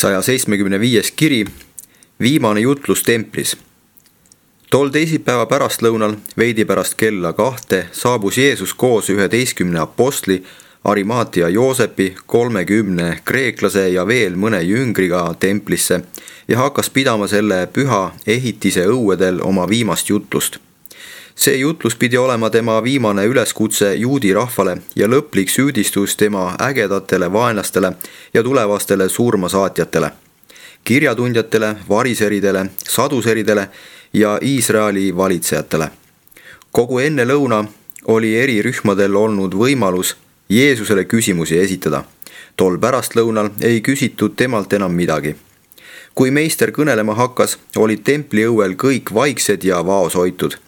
175. kiri, viimane jutlus templis. Tol teisipäeva pärastlõunal, veidi pärast kella 2, saabus Jeesus koos 11 apostli, Arimaatia Joosepi, 30 kreeklase ja veel mõne jüngriga templisse ja hakkas pidama selle püha ehitise õuedel oma viimast jutlust. See jutlus pidi olema tema viimane üleskutse juudi rahvale ja lõplik süüdistus tema ägedatele vaenlastele ja tulevastele surmasaatjatele, kirjatundjatele, variseridele, saduseridele ja Iisraeli valitsejatele. Kogu enne lõuna oli eri rühmadel olnud võimalus Jeesusele küsimusi esitada. Tol pärastlõunal ei küsitud temalt enam midagi. Kui meister kõnelema hakkas, olid templi õuel kõik vaiksed ja vaoshoitud.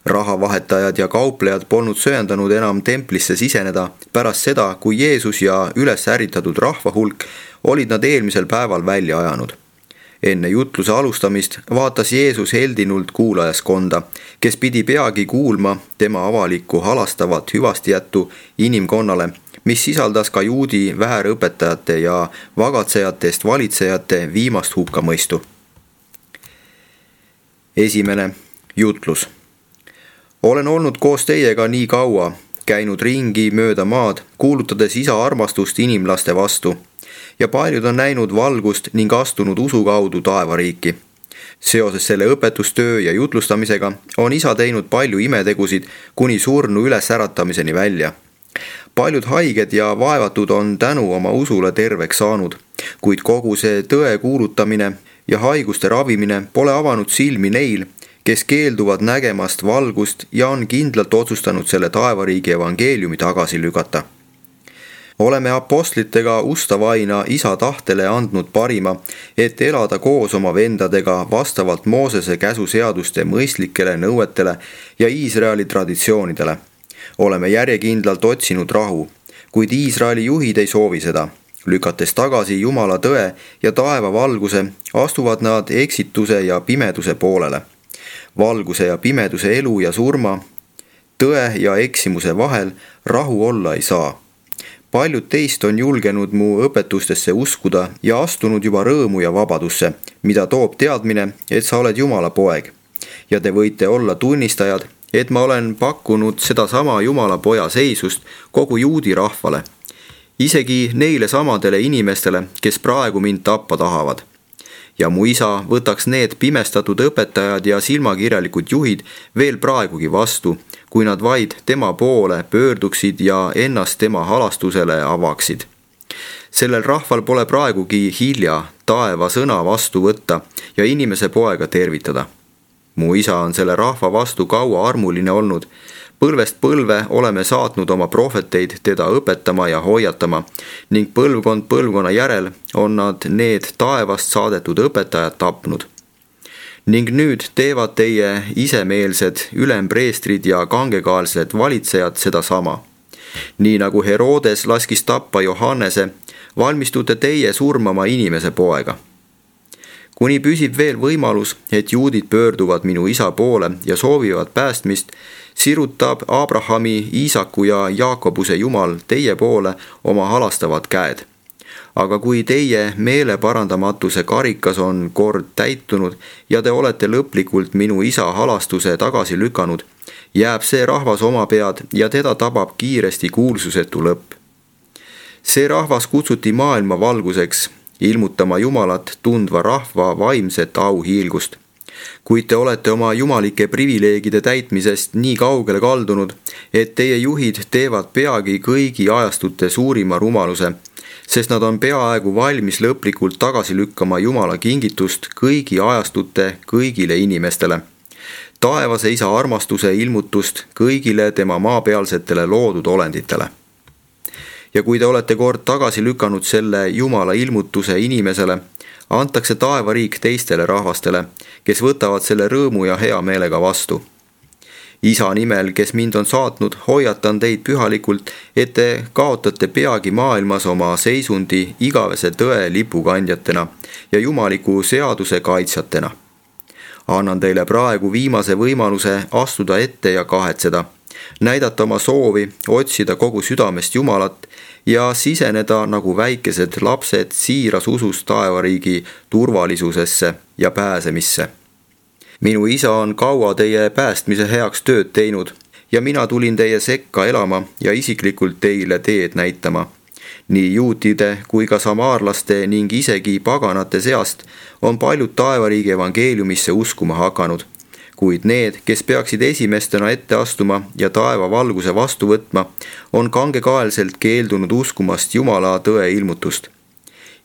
Rahavahetajad ja kauplejad polnud söandanud enam templisse siseneda pärast seda, kui Jeesus ja üles ärritatud rahva hulk olid nad eelmisel päeval välja ajanud. Enne jutluse alustamist vaatas Jeesus heldinult kuulajaskonda, kes pidi peagi kuulma tema avalikku halastavat hüvastijättu inimkonnale, mis sisaldas ka juudi väärõpetajate ja vagatsejatest valitsejate viimast hukkamõistu. Esimene jutlus. Olen olnud koos teiega nii kaua, käinud ringi mööda maad, kuulutades isa armastust inimlaste vastu, ja paljud on näinud valgust ning astunud usu kaudu taevariiki. Seoses selle õpetustöö ja jutlustamisega on isa teinud palju imetegusid kuni surnu ülesäratamiseni välja. Paljud haiged ja vaevatud on tänu oma usule terveks saanud, kuid kogu see tõe kuulutamine ja haiguste ravimine pole avanud silmi neil, kes keelduvad nägemast valgust ja on kindlalt otsustanud selle taevariigi evangeeliumi tagasi lükata. Oleme apostlitega ustavaina isa tahtele andnud parima, et elada koos oma vendadega vastavalt Moosese käsuseaduste mõistlikele nõuetele ja Iisraeli traditsioonidele. Oleme järjekindlalt otsinud rahu, kuid Iisraeli juhid ei soovi seda. Lükates tagasi Jumala tõe ja taeva valguse, astuvad nad eksituse ja pimeduse poolele. Valguse ja pimeduse elu ja surma, tõe ja eksimuse vahel rahu olla ei saa. Paljud teist on julgenud mu õpetustesse uskuda ja astunud juba rõõmu ja vabadusse, mida toob teadmine, et sa oled Jumala poeg. Ja te võite olla tunnistajad, et ma olen pakkunud sedasama Jumala poja seisust kogu juudi rahvale, isegi neile samadele inimestele, kes praegu mind tappa tahavad. Ja mu isa võtaks need pimestatud õpetajad ja silmakirjalikud juhid veel praegugi vastu, kui nad vaid tema poole pöörduksid ja ennast tema halastusele avaksid. Sellel rahval pole praegugi hilja taeva sõna vastu võtta ja inimese poega tervitada. Mu isa on selle rahva vastu kaua armuline olnud. Põlvest põlve oleme saatnud oma prohveteid teda õpetama ja hoiatama ning põlvkond põlvkonna järel on nad need taevast saadetud õpetajad tapnud. Ning nüüd teevad teie isemeelsed ülempreestrid ja kangekaelsed valitsejad sedasama. Nii nagu Herodes laskis tappa Johannese, valmistute teie surmama inimese poega. Kuni püsib veel võimalus, et juudid pöörduvad minu isa poole ja soovivad päästmist, sirutab Abrahami, Iisaku ja Jaakobuse Jumal teie poole oma halastavad käed. Aga kui teie meeleparandamatuse karikas on kord täitunud ja te olete lõplikult minu isa halastuse tagasi lükanud, jääb see rahvas oma pead ja teda tabab kiiresti kuulsusetu lõpp. See rahvas kutsuti maailma valguseks, ilmutama Jumalat tundva rahva vaimset auhiilgust. Kuid te olete oma jumalike privileegide täitmisest nii kaugele kaldunud, et teie juhid teevad peagi kõigi ajastute suurima rumaluse, sest nad on peaaegu valmis lõplikult tagasi lükkama Jumala kingitust kõigi ajastute kõigile inimestele. Taevase isa armastuse ilmutust kõigile tema maapealsetele loodud olenditele. Ja kui te olete kord tagasi lükanud selle Jumala ilmutuse inimesele, antakse taevariik teistele rahvastele, kes võtavad selle rõõmu ja hea meelega vastu. Isa nimel, kes mind on saatnud, hoiatan teid pühalikult, et te kaotate peagi maailmas oma seisundi igavese tõe lipukandjatena ja jumaliku seaduse kaitsjatena. Annan teile praegu viimase võimaluse astuda ette ja kahetseda. näidata oma soovi otsida kogu südamest Jumalat ja siseneda nagu väikesed lapsed siiras usus taevariigi turvalisusesse ja pääsemisse. Minu isa on kaua teie päästmise heaks tööd teinud ja mina tulin teie sekka elama ja isiklikult teile teed näitama. Nii juutide kui ka samaarlaste ning isegi paganate seast on paljud taevariigi evangeeliumisse uskuma hakanud, kuid need, kes peaksid esimestena ette astuma ja taeva valguse vastu võtma, on kangekaelselt keeldunud uskumast Jumala tõe ilmutust.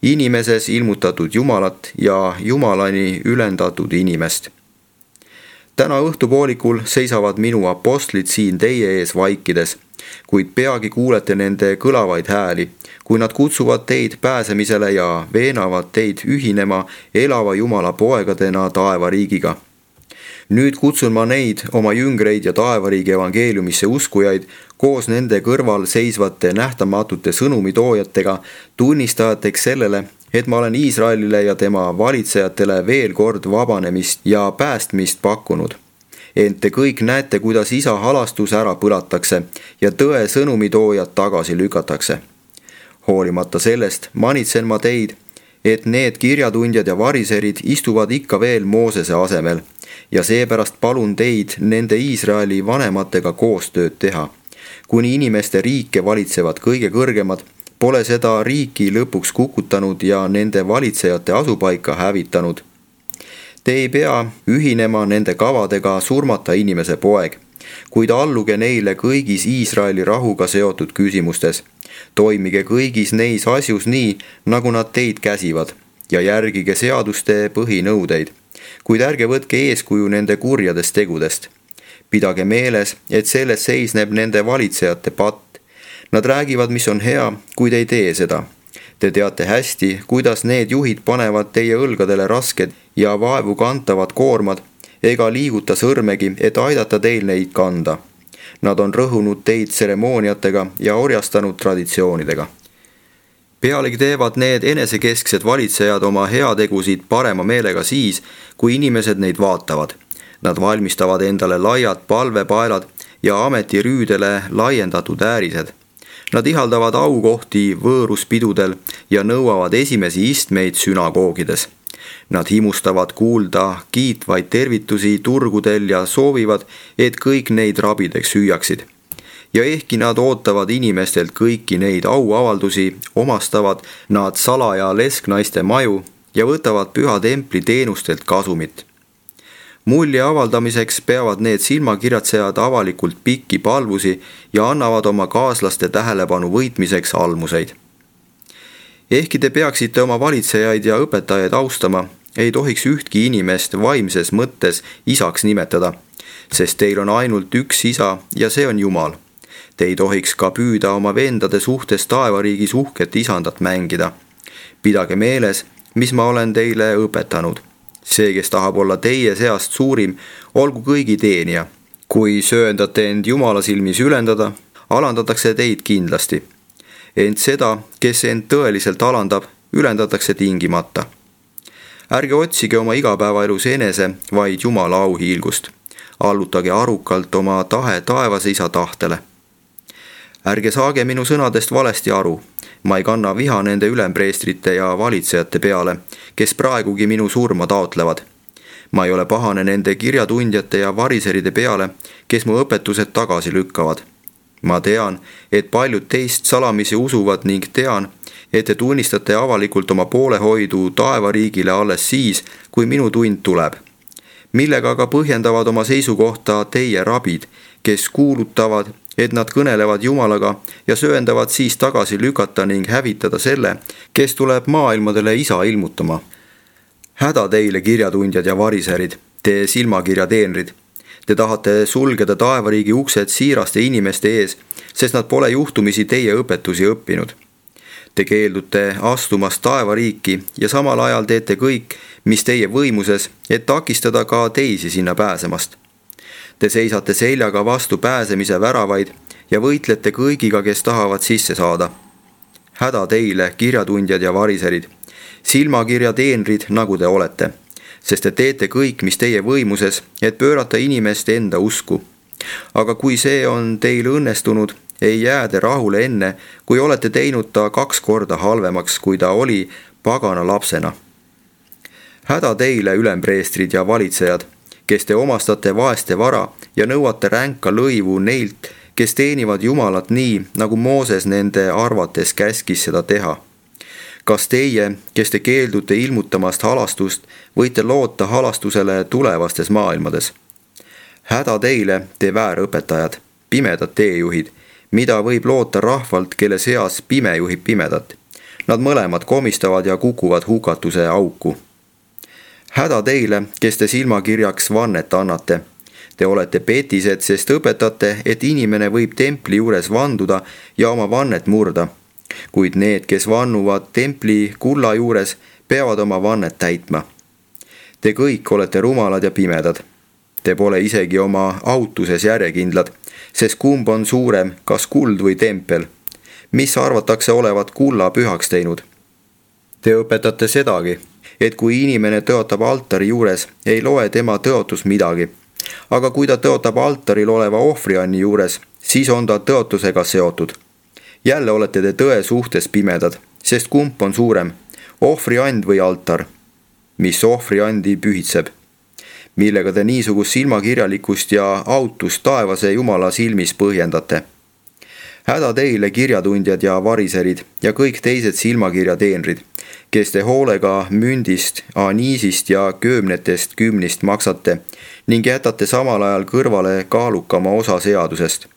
Inimeses ilmutatud Jumalat ja Jumalani ülendatud inimest. Täna õhtupoolikul seisavad minu apostlid siin teie ees vaikides, kuid peagi kuulete nende kõlavaid hääli, kui nad kutsuvad teid pääsemisele ja veenavad teid ühinema elava Jumala poegadena taevariigiga. Nüüd kutsun ma neid, oma jüngreid ja taevariigi evangeeliumisse uskujaid, koos nende kõrval seisvate nähtamatute sõnumitoojatega, tunnistajateks sellele, et ma olen Iisraelile ja tema valitsejatele veel kord vabanemist ja päästmist pakkunud. Ent te kõik näete, kuidas isa halastus ära põlatakse ja tõe sõnumitoojad tagasi lükatakse. Hoolimata sellest manitsen ma teid, et need kirjatundjad ja variserid istuvad ikka veel Moosese asemel ja seepärast palun teid nende Iisraeli vanematega koostööd teha. Kuni inimeste riike valitsevad kõige kõrgemad, pole seda riiki lõpuks kukutanud ja nende valitsejate asupaika hävitanud. Te ei pea ühinema nende kavadega surmata inimese poeg, kuid alluge neile kõigis Iisraeli rahuga seotud küsimustes. Toimige kõigis neis asjus nii, nagu nad teid käsivad ja järgige seaduste põhinõudeid, kuid ärge võtke eeskuju nende kurjadest tegudest. Pidage meeles, et selles seisneb nende valitsejate patt. Nad räägivad, mis on hea, kuid ei tee seda. Te teate hästi, kuidas need juhid panevad teie õlgadele rasked ja vaevu kantavad koormad, ega liiguta sõrmegi, et aidata teil neid kanda. Nad on rõhunud teid tseremooniatega ja orjastanud traditsioonidega. Pealegi teevad need enesekesksed valitsejad oma heategusid parema meelega siis, kui inimesed neid vaatavad. Nad valmistavad endale laiad palvepaelad ja ametirüüdele laiendatud äärised. Nad ihaldavad aukohti võõruspidudel ja nõuavad esimesi istmeid sünagoogides. Nad himustavad kuulda kiitvaid tervitusi turgudel ja soovivad, et kõik neid rabideks süüaksid. Ja ehkki nad ootavad inimestelt kõiki neid auavaldusi, omastavad nad salaja lesknaiste maju ja võtavad püha templi teenustelt kasumit. Mulje avaldamiseks peavad need silmakirjatsejad avalikult pikki palvusi ja annavad oma kaaslaste tähelepanu võitmiseks almuseid. Ehkki te peaksite oma valitsejaid ja õpetajaid austama, ei tohiks ühtki inimest vaimses mõttes isaks nimetada, sest teil on ainult üks isa ja see on Jumal. Te ei tohiks ka püüda oma vendade suhtes taevariigis uhket isandat mängida. Pidage meeles, mis ma olen teile õpetanud. See, kes tahab olla teie seast suurim, olgu kõigi teenija. Kui sööndate end Jumala silmis ülendada, alandatakse teid kindlasti. Ent seda, kes end tõeliselt alandab, ülendatakse tingimata. Ärge otsige oma igapäevaelus enese, vaid Jumala auhiilgust. Allutage arukalt oma tahe taevase isa tahtele. Ärge saage minu sõnadest valesti aru. Ma ei kanna viha nende ülempreestrite ja valitsejate peale, kes praegugi minu surma taotlevad. Ma ei ole pahane nende kirjatundjate ja variseride peale, kes mu õpetused tagasi lükkavad. Ma tean, et paljud teist salamisi usuvad ning tean, et te tunnistate avalikult oma poolehoidu taevariigile alles siis, kui minu tund tuleb. Millega aga põhjendavad oma seisukohta teie rabid, kes kuulutavad, et nad kõnelevad Jumalaga ja sööndavad siis tagasi lükata ning hävitada selle, kes tuleb maailmadele isa ilmutama. Häda teile, kirjatundjad ja variserid, te silmakirjateenrid. Te tahate sulgeda taevariigi uksed siiraste inimeste ees, sest nad pole juhtumisi teie õpetusi õppinud. Te keeldute astumast taevariiki ja samal ajal teete kõik, mis teie võimuses, et takistada ka teisi sinna pääsemast. Te seisate seljaga vastu pääsemise väravaid ja võitlete kõigiga, kes tahavad sisse saada. Häda teile, kirjatundjad ja variserid, silmakirjateenrid, nagu te olete, sest te teete kõik, mis teie võimuses, et pöörata inimest enda usku. aga kui see on teil õnnestunud, ei jää te rahule enne, kui olete teinud ta 2 korda halvemaks, kui ta oli pagana lapsena. Häda teile, ülempreestrid ja valitsejad, kes te omastate vaeste vara ja nõuate ränka lõivu neilt, kes teenivad Jumalat nii, nagu Mooses nende arvates käskis seda teha. Kas teie, kes te keeldute ilmutamast halastust, võite loota halastusele tulevastes maailmades? Häda teile, te väärõpetajad, pimedad teejuhid, mida võib loota rahvalt, kelle seas pime juhib pimedat. Nad mõlemad komistavad ja kukuvad hukatuse auku. Häda teile, kes te silmakirjaks vannet annate. Te olete petised, sest õpetate, et inimene võib templi juures vanduda ja oma vannet murda. Kuid need, kes vannuvad templi kulla juures, peavad oma vannet täitma. Te kõik olete rumalad ja pimedad. Te pole isegi oma autuses järjekindlad, sest kumb on suurem, kas kuld või tempel? Mis arvatakse olevat kulla pühaks teinud? Te õpetate sedagi, et kui inimene tõotab altari juures, ei loe tema tõotus midagi. Aga kui ta tõotab altaril oleva ohvrianni juures, siis on ta tõotusega seotud. Jälle olete te tõe suhtes pimedad, sest kumb on suurem, ohvriand või altar? Mis ohvriandi pühitseb? Millega te niisugust silmakirjalikkust ja autust taevase Jumala silmis põhjendate? Häda teile, kirjatundjad ja variserid ja kõik teised silmakirja teenrid, kes te hoolega mündist, aniisist ja köömnetest kümnist maksate ning jätate samal ajal kõrvale kaalukama osa seadusest,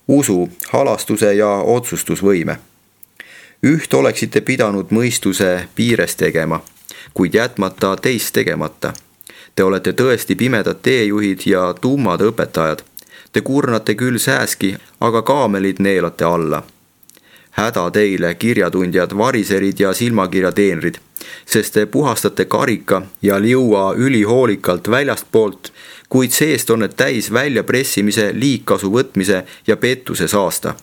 usu, halastuse ja otsustusvõime. Üht oleksite pidanud mõistuse piires tegema, kuid jätmata teist tegemata. Te olete tõesti pimedad teejuhid ja tummad õpetajad. Te kurnate küll sääski, aga kaamelid neelate alla. Häda teile, kirjatundjad, variserid ja silmakirja teenrid, sest te puhastate karika ja liua ülihoolikalt väljastpoolt, kuid seest on need täis väljapressimise, liigkasu võtmise ja pettuse saasta.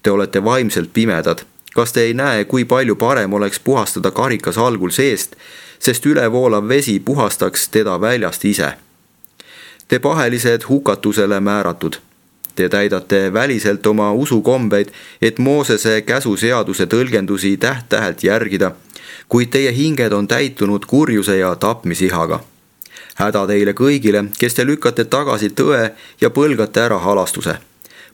Te olete vaimselt pimedad. Kas te ei näe, kui palju parem oleks puhastada karikas algul seest, sest ülevoolav vesi puhastaks teda väljast ise? Te pahelised hukatusele määratud. Te täidate väliselt oma usukombeid, et Moosese käsuseaduse tõlgendusi täht-tähelt järgida, kuid teie hinged on täitunud kurjuse ja tapmisihaga. Häda teile kõigile, kes te lükkate tagasi tõe ja põlgate ära halastuse.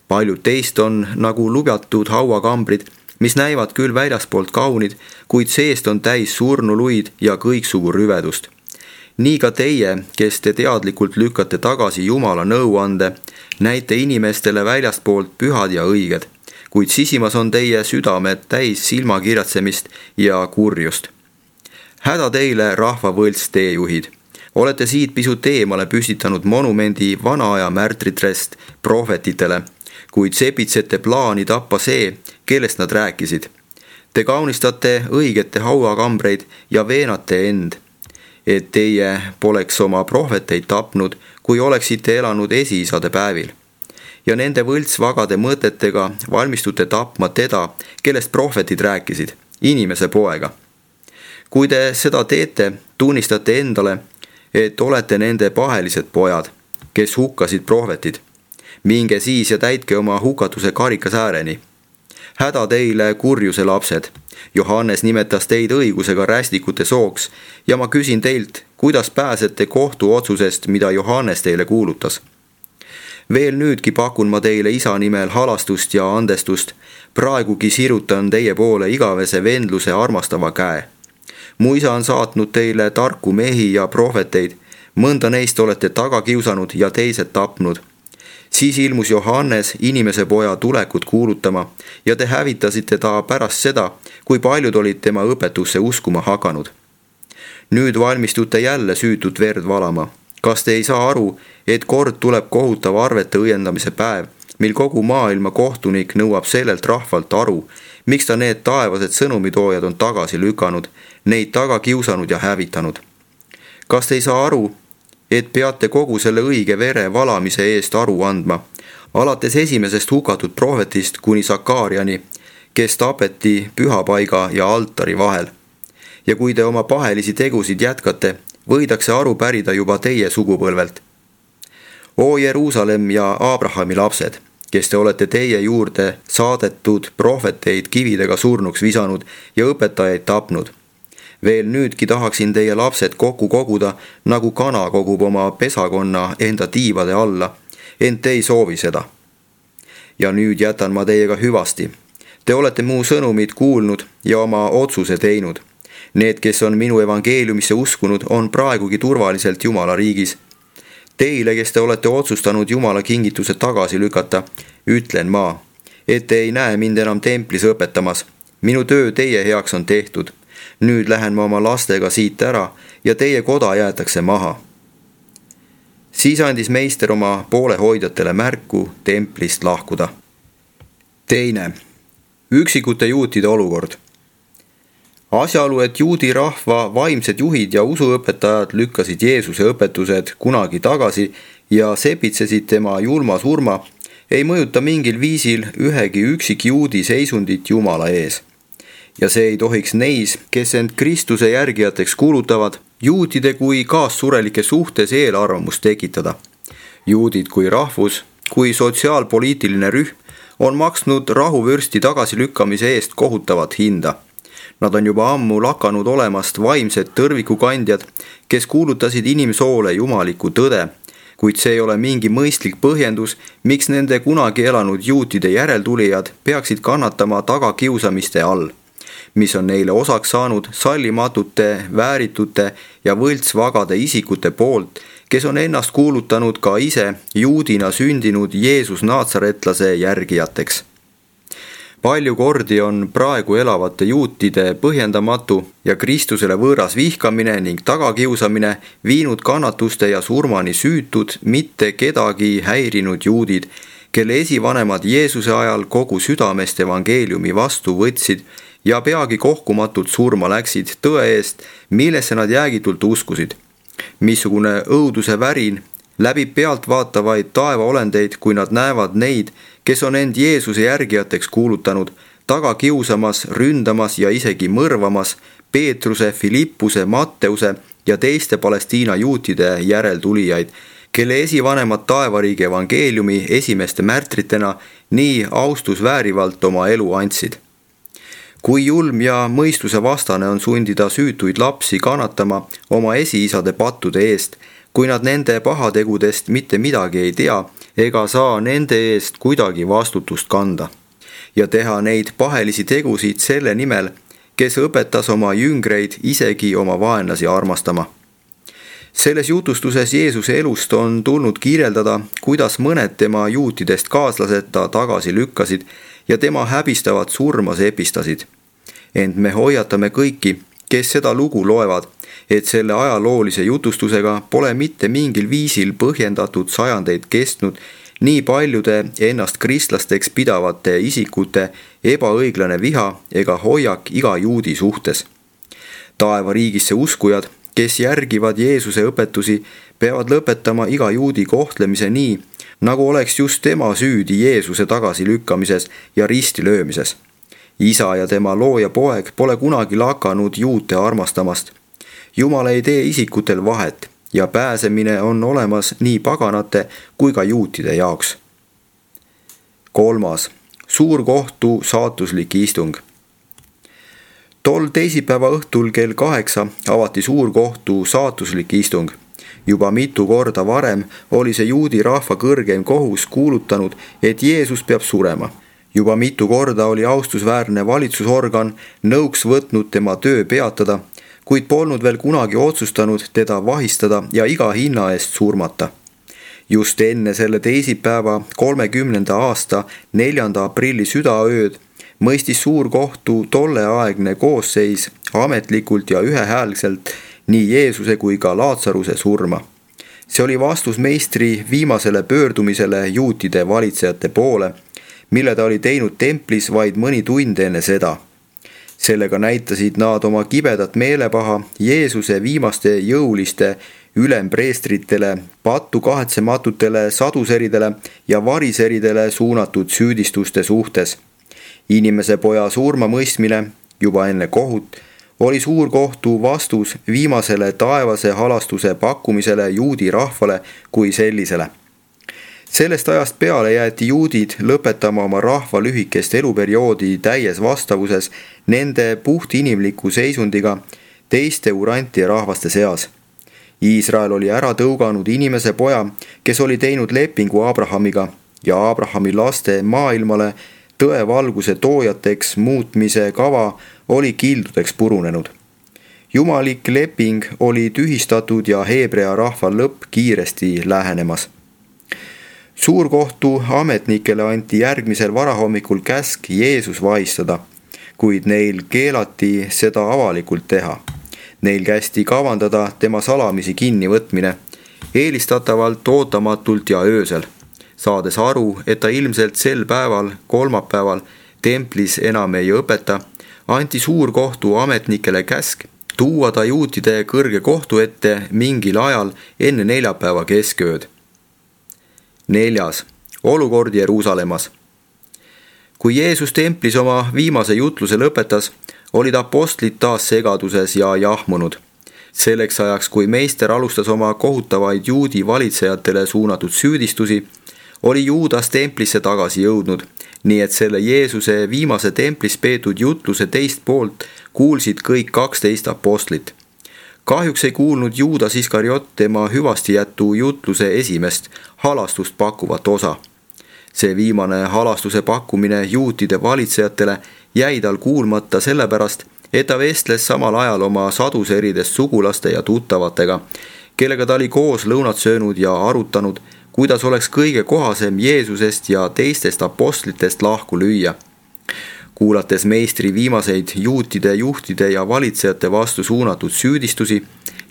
Paljud teist on nagu lubjatud hauakambrid, mis näivad küll väljaspoolt kaunid, kuid seest on täis surnuluid ja kõiksugu rüvedust. Nii ka teie, kes te teadlikult lükkate tagasi Jumala nõuande, näite inimestele väljastpoolt pühad ja õiged, kuid sisimas on teie südamed täis silmakirjatsemist ja kurjust. Häda teile, rahva võlts teejuhid. Olete siit pisut eemale püstitanud monumendi vana aja märtritrest prohvetitele, kuid sepitsete plaani tappa see, kellest nad rääkisid. Te kaunistate õigete hauakambreid ja veenate end, et teie poleks oma prohveteid tapnud, kui oleksite elanud esiisade päevil. Ja nende võltsvagade mõtetega valmistute tapma teda, kellest prohvetid rääkisid, inimese poega. Kui te seda teete, tunnistate endale, et olete nende pahelised pojad, kes hukkasid prohvetid. Minge siis ja täitke oma hukatuse karikas ääreni. Häda teile, kurjuse lapsed. Johannes nimetas teid õigusega rästikute sooks ja ma küsin teilt, kuidas pääsete kohtuotsusest, mida Johannes teile kuulutas. Veel nüüdki pakun ma teile isa nimel halastust ja andestust, praegugi sirutan teie poole igavese vendluse armastava käe. Mu isa on saatnud teile tarku mehi ja prohveteid, mõnda neist olete taga kiusanud ja teised tapnud. Siis ilmus Johannes inimese poja tulekut kuulutama ja te hävitasite ta pärast seda, kui paljud olid tema õpetusse uskuma hakanud. Nüüd valmistute jälle süütut verd valama. Kas te ei saa aru, et kord tuleb kohutav arvete õiendamise päev, mil kogu maailma kohtunik nõuab sellelt rahvalt aru, miks ta need taevased sõnumitoojad on tagasi lükanud, neid taga kiusanud ja hävitanud? Kas te ei saa aru, et peate kogu selle õige vere valamise eest aru andma, alates esimesest hukatud prohvetist kuni Sakariani, kes tapeti pühapaiga ja altari vahel? Ja kui te oma pahelisi tegusid jätkate, võidakse aru pärida juba teie sugupõlvelt. O Jeruusalemm ja Abrahami lapsed, kes te olete teie juurde saadetud prohveteid kividega surnuks visanud ja õpetajaid tapnud. Veel nüüdki tahaksin teie lapsed kokku koguda, nagu kana kogub oma pesakonna enda tiivade alla, ent te ei soovi seda. Ja nüüd jätan ma teiega hüvasti. Te olete mu sõnumid kuulnud ja oma otsuse teinud. Need, kes on minu evangeeliumisse uskunud, on praegugi turvaliselt Jumala riigis. Teile, kes te olete otsustanud Jumala kingituse tagasi lükata, ütlen ma, et te ei näe mind enam templis õpetamas. Minu töö teie heaks on tehtud. Nüüd lähen ma oma lastega siit ära ja teie koda jäetakse maha. Siis andis meister oma poolehoidjatele märku templist lahkuda. Teine. Üksikute juutide olukord. Asjaolu, et juudi rahva vaimsed juhid ja usuõpetajad lükkasid Jeesuse õpetused kunagi tagasi ja sepitsesid tema julma surma, ei mõjuta mingil viisil ühegi üksikjuudi seisundit Jumala ees. Ja see ei tohiks neis, kes end Kristuse järgijateks kuulutavad, juutide kui kaassurelike suhtes eelarvamust tekitada. Juudid kui rahvus, kui sotsiaalpoliitiline rühm on maksnud rahuvürsti tagasilükkamise eest kohutavat hinda. Nad on juba ammu lakanud olemast vaimsed tõrvikukandjad, kes kuulutasid inimsoole jumalikku tõde, kuid see ei ole mingi mõistlik põhjendus, miks nende kunagi elanud juutide järeltulijad peaksid kannatama tagakiusamiste all, mis on neile osaks saanud sallimatute, vääritute ja võltsvagade isikute poolt, kes on ennast kuulutanud ka ise juudina sündinud Jeesus Naatsaretlase järgijateks. Palju kordi on praegu elavate juutide põhjendamatu ja Kristusele võõras vihkamine ning tagakiusamine viinud kannatuste ja surmani süütud, mitte kedagi häirinud juudid, kelle esivanemad Jeesuse ajal kogu südamest evangeeliumi vastu võtsid ja peagi kohkumatult surma läksid tõe eest, millesse nad jäägitult uskusid. Missugune õuduse värin läbib pealtvaatavaid taevaolendeid, kui nad näevad neid, kes on end Jeesuse järgijateks kuulutanud, taga kiusamas, ründamas ja isegi mõrvamas Peetruse, Filippuse, Matteuse ja teiste Palestiina juutide järeltulijaid, kelle esivanemad taevariigi evangeeliumi esimeste märtritena nii austusväärivalt oma elu andsid. Kui julm ja mõistuse vastane on sundida süütuid lapsi kannatama oma esiisade pattude eest, kui nad nende pahategudest mitte midagi ei tea ega saa nende eest kuidagi vastutust kanda, ja teha neid pahelisi tegusid selle nimel, kes õpetas oma jüngreid isegi oma vaenlasi armastama. Selles jutustuses Jeesuse elust on tulnud kirjeldada, kuidas mõned tema juutidest kaaslased ta tagasi lükkasid ja tema häbistavat surma sepistasid. Ent me hoiatame kõiki, kes seda lugu loevad, et selle ajaloolise jutustusega pole mitte mingil viisil põhjendatud sajandeid kestnud nii paljude ennast kristlasteks pidavate isikute ebaõiglane viha ega hoiak iga juudi suhtes. Taevariigisse uskujad, kes järgivad Jeesuse õpetusi, peavad lõpetama iga juudi kohtlemise nii, nagu oleks just tema süüdi Jeesuse tagasilükkamises ja risti löömises. Isa ja tema looja poeg pole kunagi lakanud juute armastamast. Jumal ei tee isikutel vahet ja pääsemine on olemas nii paganate kui ka juutide jaoks. 3. Suurkohtu saatuslik istung. Tol teisipäeva õhtul kell 8 avati suurkohtu saatuslik istung. Juba mitu korda varem oli see juudi rahva kõrgeim kohus kuulutanud, et Jeesus peab surema. Juba mitu korda oli austusväärne valitsusorgan nõuks võtnud tema töö peatada, kuid polnud veel kunagi otsustanud teda vahistada ja iga hinna eest surmata. Just enne selle teisipäeva 30. aasta 4. aprilli südaööd mõistis suurkohtu tolleaegne koosseis ametlikult ja ühehäälselt nii Jeesuse kui ka Laatsaruse surma. See oli vastus meistri viimasele pöördumisele juutide valitsejate poole, mille ta oli teinud templis vaid mõni tund enne seda. Sellega näitasid nad oma kibedat meelepaha Jeesuse viimaste jõuliste ülempreestritele, pattu kahetsematutele saduseridele ja variseridele suunatud süüdistuste suhtes. Inimese poja surma mõistmine juba enne kohut oli suurkohtu vastus viimasele taevase halastuse pakkumisele juudi rahvale kui sellisele. Sellest ajast peale jäeti juudid lõpetama oma rahva lühikest eluperioodi täies vastavuses nende puhtinimliku seisundiga teiste urantide rahvaste seas. Iisrael oli ära tõuganud inimese poja, kes oli teinud lepingu Abrahamiga ja Abrahami laste maailmale tõevalguse toojateks muutmise kava oli kildudeks purunenud. Jumalik leping oli tühistatud ja Heebrea rahva lõpp kiiresti lähenemas. Suurkohtu ametnikele anti järgmisel varahommikul käsk Jeesus vahistada, kuid neil keelati seda avalikult teha. Neil kästi kavandada tema salamisi kinnivõtmine, eelistatavalt ootamatult ja öösel, saades aru, et ta ilmselt sel päeval, kolmapäeval, templis enam ei õpeta, anti suurkohtu ametnikele käsk tuua ta juutide kõrge kohtu ette mingil ajal enne neljapäeva keskööd. 4. Olukord Jeruusalemmas. Kui Jeesus templis oma viimase jutluse lõpetas, olid apostlid taas segaduses ja jahmunud. Selleks ajaks, kui meister alustas oma kohutavaid juudi valitsejatele suunatud süüdistusi, oli Juudas templisse tagasi jõudnud, nii et selle Jeesuse viimase templis peetud jutluse teist poolt kuulsid kõik 12 apostlit. Kahjuks ei kuulnud Juudas Iskariot tema hüvastijätu jutluse esimest halastust pakkuvat osa. See viimane halastuse pakkumine juutide valitsejatele jäi tal kuulmata sellepärast, et ta vestles samal ajal oma saduseridest sugulaste ja tuttavatega, kellega ta oli koos lõunat söönud ja arutanud, kuidas oleks kõige kohasem Jeesusest ja teistest apostlitest lahku lüüa. Kuulates meistri viimaseid juutide juhtide ja valitsejate vastu suunatud süüdistusi,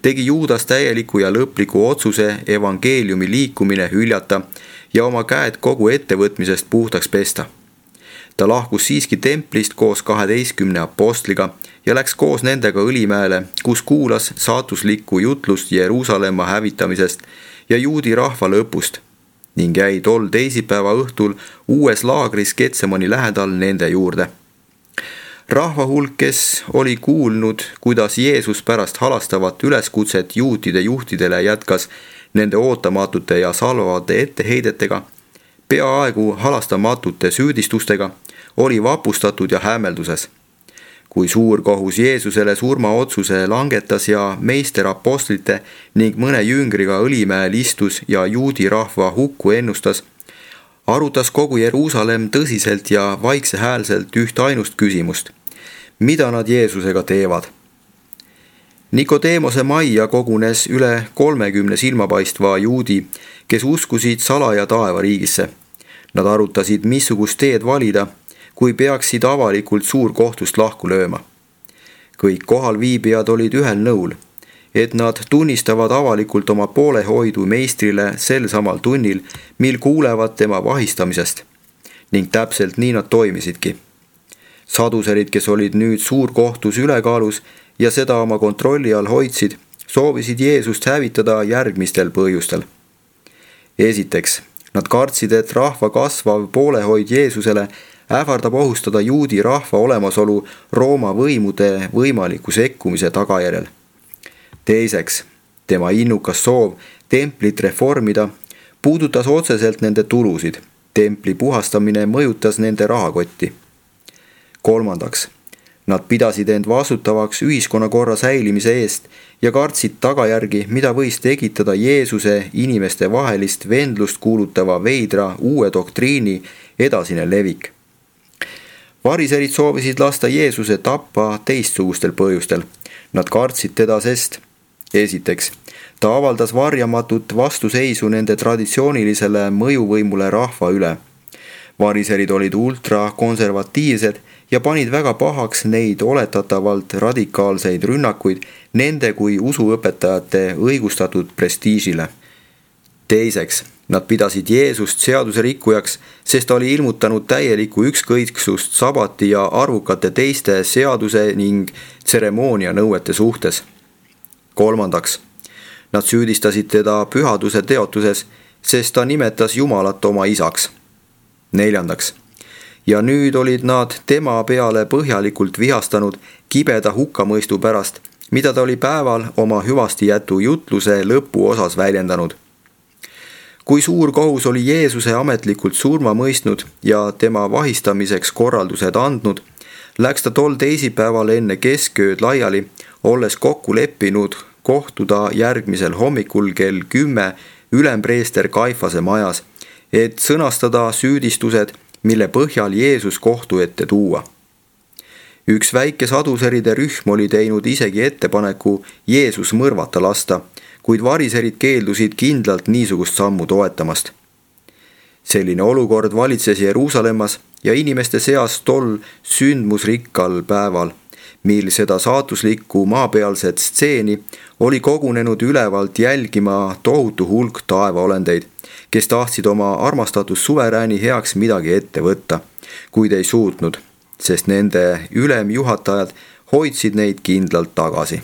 tegi Juudas täieliku ja lõpliku otsuse evangeeliumi liikumine hüljata ja oma käed kogu ettevõtmisest puhtaks pesta. Ta lahkus siiski templist koos 12 apostliga ja läks koos nendega Õlimäele, kus kuulas saatuslikku jutlust Jeruusalemma hävitamisest ja juudi rahva lõpust ning jäi tol teisipäeva õhtul uues laagris Getsemani lähedal nende juurde. Rahva hulk, kes oli kuulnud, kuidas Jeesus pärast halastavat üleskutset juutide juhtidele jätkas nende ootamatute ja salvavate etteheidetega, peaaegu halastamatute süüdistustega, oli vapustatud ja hämmelduses. Kui suurkohus Jeesusele surmaotsuse langetas ja meister apostlite ning mõne jüngriga Õlimäel istus ja juudi rahva hukku ennustas, arutas kogu Jeruusalemm tõsiselt ja vaiksehäälselt üht ainust küsimust. Mida nad Jeesusega teevad? Nikodeemose majja kogunes üle 30 silmapaistva juudi, kes uskusid salaja taevariigisse. Nad arutasid, missugust teed valida, kui peaksid avalikult suurkohtust lahku lööma. Kõik kohalviibijad olid ühel nõul, et nad tunnistavad avalikult oma poolehoidu meistrile sel samal tunnil, mil kuulevad tema vahistamisest. Ning täpselt nii nad toimisidki. Saduserid, kes olid nüüd suurkohtus ülekaalus ja seda oma kontrolli all hoidsid, soovisid Jeesust hävitada järgmistel põhjustel. Esiteks, nad kartsid, et rahva kasvav poolehoid Jeesusele ähvardab ohustada juudi rahva olemasolu Rooma võimude võimaliku sekkumise tagajärjel. Teiseks, tema innukas soov templit reformida puudutas otseselt nende tulusid. Templi puhastamine mõjutas nende rahakotti. Kolmandaks, nad pidasid end vastutavaks ühiskonnakorra säilimise eest ja kartsid tagajärgi, mida võis tekitada Jeesuse inimeste vahelist vendlust kuulutava veidra uue doktriini edasine levik. Variserid soovisid lasta Jeesuse tappa teistsugustel põhjustel. Nad kartsid teda, sest esiteks, ta avaldas varjamatut vastuseisu nende traditsioonilisele mõjuvõimule rahva üle. Variserid olid ultrakonservatiivsed ja panid väga pahaks neid oletatavalt radikaalseid rünnakuid nende kui usuõpetajate õigustatud prestiižile. Teiseks, nad pidasid Jeesust seaduse rikkujaks, sest ta oli ilmutanud täielikku ükskõiksust sabati ja arvukate teiste seaduse ning tseremoonia nõuete suhtes. Kolmandaks, nad süüdistasid teda pühaduse teotuses, sest ta nimetas Jumalat oma isaks. Neljandaks, ja nüüd olid nad tema peale põhjalikult vihastanud kibeda hukkamõistu pärast, mida ta oli päeval oma hüvastijätu jutluse lõpuosas väljendanud. kui suur kohus oli Jeesuse ametlikult surma mõistnud ja tema vahistamiseks korraldused andnud, läks ta tol teisipäeval enne keskööd laiali, olles kokku leppinud kohtuda järgmisel hommikul kell 10 ülempreester Kaifase majas, et sõnastada süüdistused, mille põhjal Jeesus kohtu ette tuua. Üks väike saduseride rühm oli teinud isegi ettepaneku Jeesus mõrvata lasta, kuid variserid keeldusid kindlalt niisugust sammu toetamast. Selline olukord valitses Jeruusalemmas ja inimeste seas tol sündmusrikkal päeval, mil seda saatuslikku maapealset stseeni oli kogunenud ülevalt jälgima tohutu hulk taevaolendeid, kes tahtsid oma armastatud suverääni heaks midagi ette võtta, kuid ei suutnud, sest nende ülemjuhatajad hoidsid neid kindlalt tagasi.